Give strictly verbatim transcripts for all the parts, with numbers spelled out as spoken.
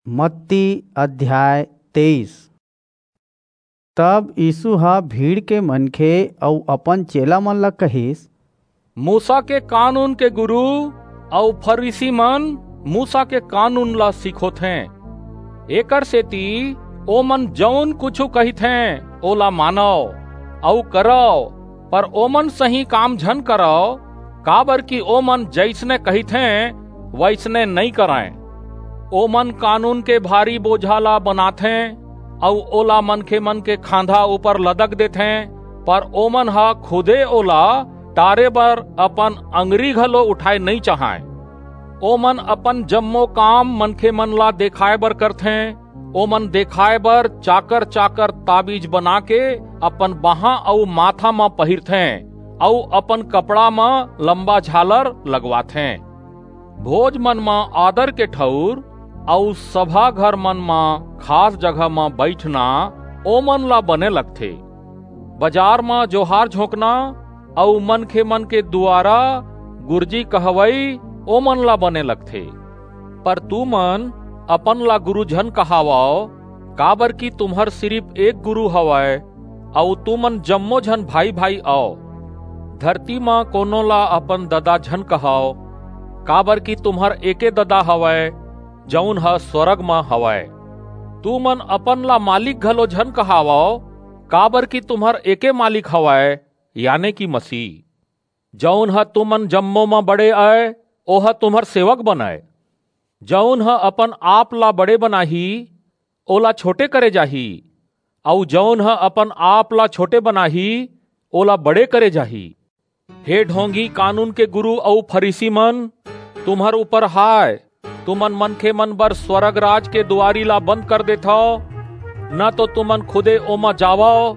मत्ती अध्याय तेईस। तब यीसू ह भीड़ के मनखे अऊ अपन चेला मन ला कहिस, मूसा के कानून के गुरू अऊ फरीसी मन मूसा के कानून ला सिखोथें। एकरसेति ओमन जऊन कुछू कहिथें, ओला मानव अऊ करव, पर ओमन सहीं काम झन करव, काबरकि ओमन जइसने कहिथें, वइसने नइं करंय। ओमन कानून के भारी बोझा ला बनाथें अऊ ओला मनखेमन के खांधा ऊपर लदक देथें, पर ओमन ह खुदे ओला टारे बर अपन अंगरी घलो उठाय नइं चाहंय। ओमन अपन जम्मो काम मनखेमन ला देखाय बर करथें। ओमन देखाय बर चाकर-चाकर ताबीज बनाके अपन बाहां अऊ माथा म पहिरथें अऊ अपन कपड़ा म लंबा झालर लगवाथें। भोज मन म आदर के ठऊर अऊ सभा घर मन म खास जगह म बईठना ओमन ला बने लगथे। बजार म जोहार झोंकना अऊ मनखेमन के दुवारा गुरजी कहवई ओमन ला बने लगथे। पर तुमन अपन ला गुरू झन कहावव, काबरकि तुम्हर सिरिप एक गुरू हवय, अऊ तुमन जम्मो झन भाई-भाई अव। धरती म कोनो ला अपन ददा झन कहव, काबरकि तुम्हर एके ददा हवय, जऊन ह स्‍वरग म हवय। तुमन अपन ला मालिक घलो झन कहावव, काबरकि तुम्हर एके मालिक हवय, याने कि मसीह। जऊन ह तुमन जम्मो म बड़े अय, ओह तुम्हर सेवक बनय। जऊन ह अपन आप ला बड़े बनाही, ओला छोटे करे जाही, अऊ जऊन ह अपन आप ला छोटे बनाही, ओला बड़े करे जाही। हे ढोंगी कानून के गुरू अऊ फरीसी मन, तुम्हर ऊपर हाय, तुमन मनखेमन बर स्‍वरग राज के दुवारी ला बंद कर देथव, न तो तुमन खुदे ओमा जावव,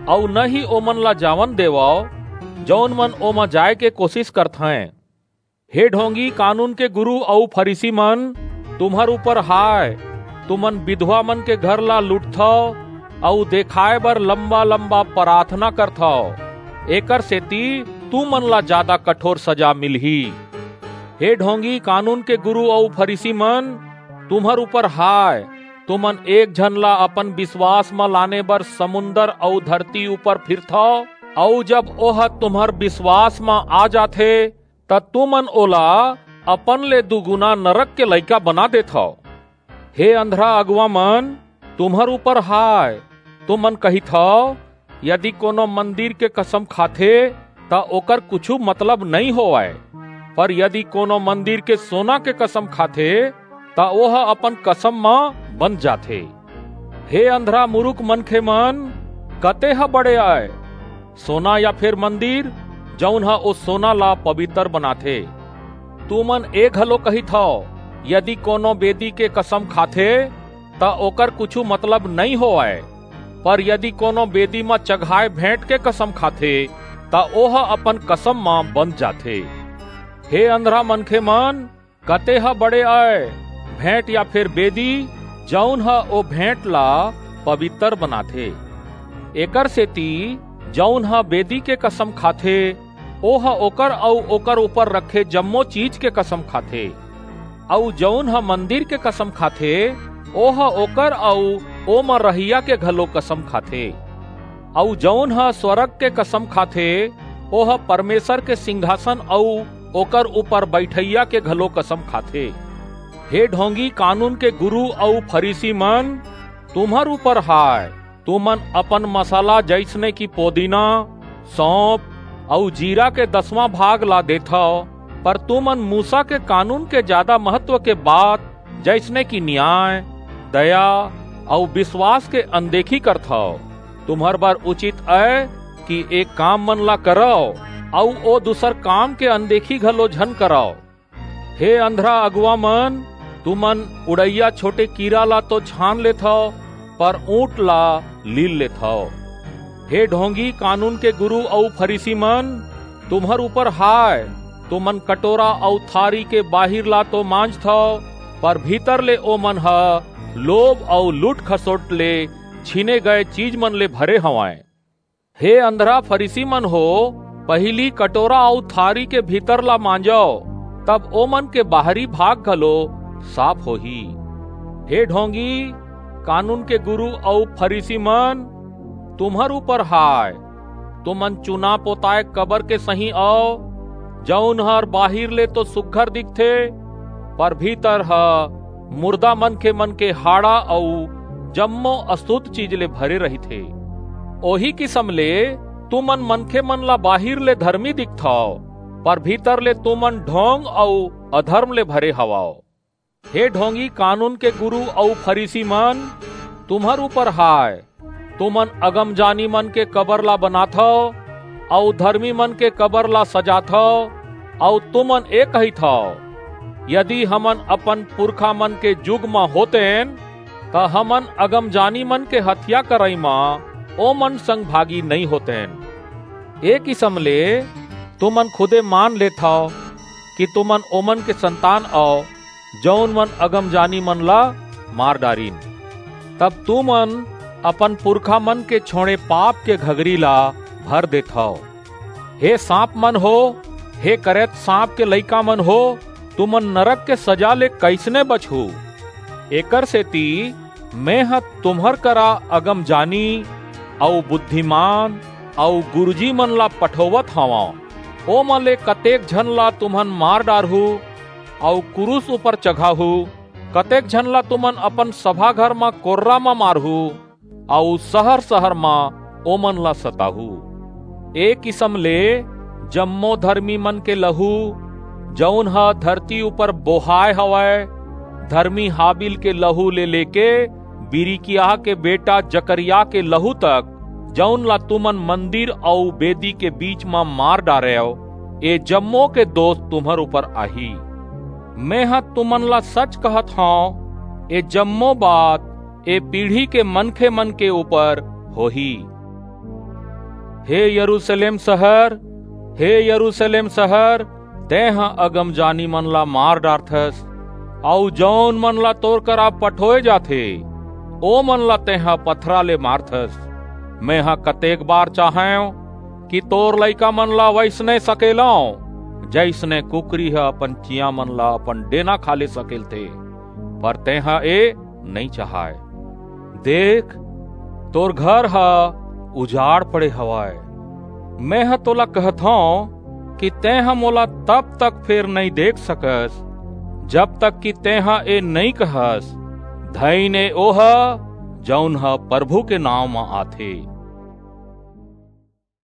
अऊ न ही ओमन ला जावन देवव, जऊन मन ओमा जाय के कोसिस करथें। हे ढोंगी कानून के गुरू अऊ फरीसी मन, तुम्हर ऊपर हाय, तुमन बिधवा मन के घर ला लूटथव अऊ देखाय बर लंबा-लंबा पराथना करथव, एकरसेति तुमन ला जादा कठोर सजा मिलही। हे ढोंगी कानून के गुरू अऊ फरीसी मन, तुम्हर ऊपर हाय, तुमन एक झन ला अपन बिसवास म लाने बर समुंदर अऊ धरती ऊपर फिरथव, अऊ जब ओह तुम्हर बिसवास म आ जाथे, त तुमन ओला अपन ले दुगुना नरक के लइका बना देथव। हे अंधरा अगुवा मन, तुम्हर ऊपर हाय, तुमन कहिथव, यदि कोनो मंदिर के कसम खाथे, त ओकर कुछू मतलब नइं होवय, पर यदि कोनो मंदिर के सोना के कसम खाथे, त ओह अपन कसम म बंध जाथे। हे अंधरा मुरुख मनखे मन, कते ह बड़े अय, सोना या फेर मंदिर, जऊन ह ओ सोना ला पबितर बनाथे? तुमन ए घलो कहिथव, यदि कोनो बेदी के कसम खाथे, त ओकर कुछू मतलब नइं होवय, पर यदि कोनो बेदी म चघाय भेंट के कसम खाथे, त ओह अपन कसम म बंध जाथे। हे अंधरा मनखे मन, कते ह बड़े अय, भेंट या फेर बेदी, जऊन ह ओ भेंट ला पबितर बनाथे? एकरसेति जऊन ह बेदी के कसम खाथे, ओह ओकर अऊ ओकर ऊपर रखे जम्मो चीज के कसम खाथे। अऊ जऊन ह मंदिर के कसम खाथे, ओह ओकर अऊ ओमा रहइया के घलो कसम खाथे। अऊ जऊन ह स्वरग के कसम खाथे, ओह परमेसर के सिंघासन अऊ ओकर ऊपर बईठइया के घलो कसम खाथे। हे ढोंगी कानून के गुरू अऊ फरीसी मन, तुम्हर ऊपर हाय, तुमन अपन मसाला जइसने कि पोदीना, सौंफ अऊ जीरा के दसवां भाग ला देथव, पर तुमन मूसा के कानून के जादा महत्व के बात, जइसने कि नियाय, दया अऊ बिसवास के अनदेखी करथव। तुम्हर बर उचित अय कि ए काम मन ला करव अऊ ओ दूसर काम के अनदेखी घलो झन करव। हे अंधरा अगुवा मन, तुमन उड़इया छोटे कीरा ला तो छान लेथव, पर ऊंट ला लील लेथव। हे ढोंगी कानून के गुरू अऊ फरीसी मन, तुम्हर ऊपर हाय, तुमन कटोरा अऊ थारी के बाहिर ला तो मांजथव, पर भीतर ले ओमन ह लोभ अऊ लूट खसोट ले छीने गए चीज मन ले भरे हवंय। हे अंधरा फरीसी मन हो, पहिली कटोरा अऊ थारी के भीतर ला मांजव, तब ओमन के बाहरी भाग घलो साफ होही। हे ढोंगी, कानून के गुरु अऊ फरीसी मन, तुम्हर ऊपर हाय। तुमन चुना पोताय कबर के सहीं अव, जऊन हर बाहिर ले तो सुघर दिखथे, पर भीतर ह मुर्दा मनखे मन के हाड़ा अऊ जम्मो असुद्ध चीज ले भरे रहिथे। ओही किसम ले तुमन मनखे मन ला बाहिर ले धरमी दिखथव, पर भीतर ले तुमन ढोंग अऊ अधरम ले भरे हवव। हे ढोंगी, कानून के गुरु अऊ फरीसी मन, तुम्हर ऊपर हाय। तुमन अगमजानी मन के कबर ला बनाथव अऊ धरमी मन के कबर ला सजाथव, अऊ तुमन ए कहिथव, यदि हमन अपन पुरखा मन के जुग म होतेन, त हमन अगमजानी मन के हत्या करई म ओमन संग भागी नइं होतेन। ए किसम ले तुमन खुदे मान लेथव कि तुमन ओमन के संतान अव, जऊन मन अगमजानी मन ला मार डारिन। तब तुमन अपन पुरखा मन के छोंड़े पाप के घगरी ला भर देथव। हे सांप मन हो, हे करेत सांप के लइका मन हो, तुमन नरक के सजा ले कइसने बचहू? एकर सेती मेंह तुम्हर करा अगमजानी अऊ बुद्धिमान अऊ गुरूजी मन ला पठोवत हवंव। ओमन ले कतेक झन ला तुमन मार डारहू अऊ कुरूस ऊपर चघाहू, कतेक झन ला तुमन अपन सभा घर म कोर्रा म मारहू अऊ सहर-सहर म ओमन ला सताहू। ए किसम ले जम्मो धरमी मन के लहू, जऊन ह धरती ऊपर बोहाय हवय, धरमी हाबिल के लहू ले लेके बिरिकियाह के बेटा जकरयाह के लहू तक, जऊन ला तुमन मंदिर अऊ बेदी के बीच म मार डारेव, ए जम्मो के दोस तुम्हर ऊपर आही। मेंह तुमन ला सच कहत हंव, ए जम्मो बात ए पीढ़ी के मनखे मन के ऊपर होही। हे यरूसलेम सहर, हे यरूसलेम सहर, तेंह अगमजानी मन ला मार डारथस, अऊ जऊन मन ला तोर करा पठोय जाथे, ओ मन ला तेंह पथरा ले मारथस। मेंह कतेक बार चाहेंव कि तोर लइका मन ला वइसने सकेलंव, जइसने कुकरी ह अपन चियां मन ला अपन डेना खाले सकेलथे, पर तेंह ए नइं चाहय। देख, तोर घर ह उजाड़ पड़े हवय। मेंह तोला कहथंव कि तेंह मोला तब तक फेर नइं देख सकस, जब तक कि तेंह ए नइं कहस, "धइन ए ओह, जऊन ह परभू के नांव म आथे।"